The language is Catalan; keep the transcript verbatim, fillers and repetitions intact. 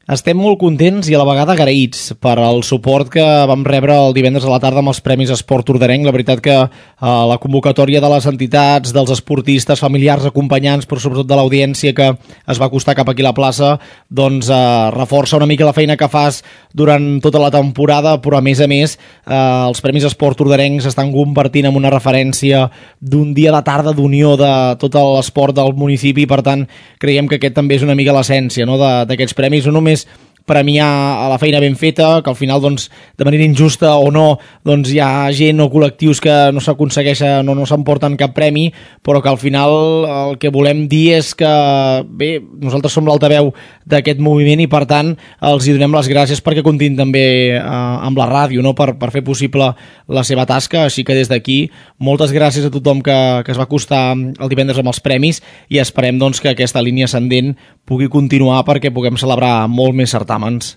Estem molt contents i a la vegada agraïts per al suport que vam rebre el divendres a la tarda amb els Premis Esport Tordarenc. La veritat que eh, la convocatòria de les entitats, dels esportistes, familiars, acompanyants, però sobretot de l'audiència que es va acostar cap aquí a la plaça, doncs eh, reforça una mica la feina que fas durant tota la temporada, però a més a més eh, els Premis Esport Tordarenc s'estan convertint en una referència d'un dia de tarda d'unió de tot l'esport del municipi, per tant creiem que aquest també és una mica l'essència, no?, d'aquests premis, no només premiar a la feina ben feta, que al final doncs, de manera injusta o no, doncs hi ha gent o col·lectius que no s'aconsegueixen, no, no s'emporten cap premi, però que al final el que volem dir és que bé, nosaltres som l'altaveu d'aquest moviment i per tant els hi donem les gràcies perquè continuïn també eh, amb la ràdio, no?, per, per fer possible la seva tasca, així que des d'aquí moltes gràcies a tothom que, que es va acostar el divendres amb els premis i esperem doncs, que aquesta línia ascendent pugui continuar perquè puguem celebrar molt més certàmens.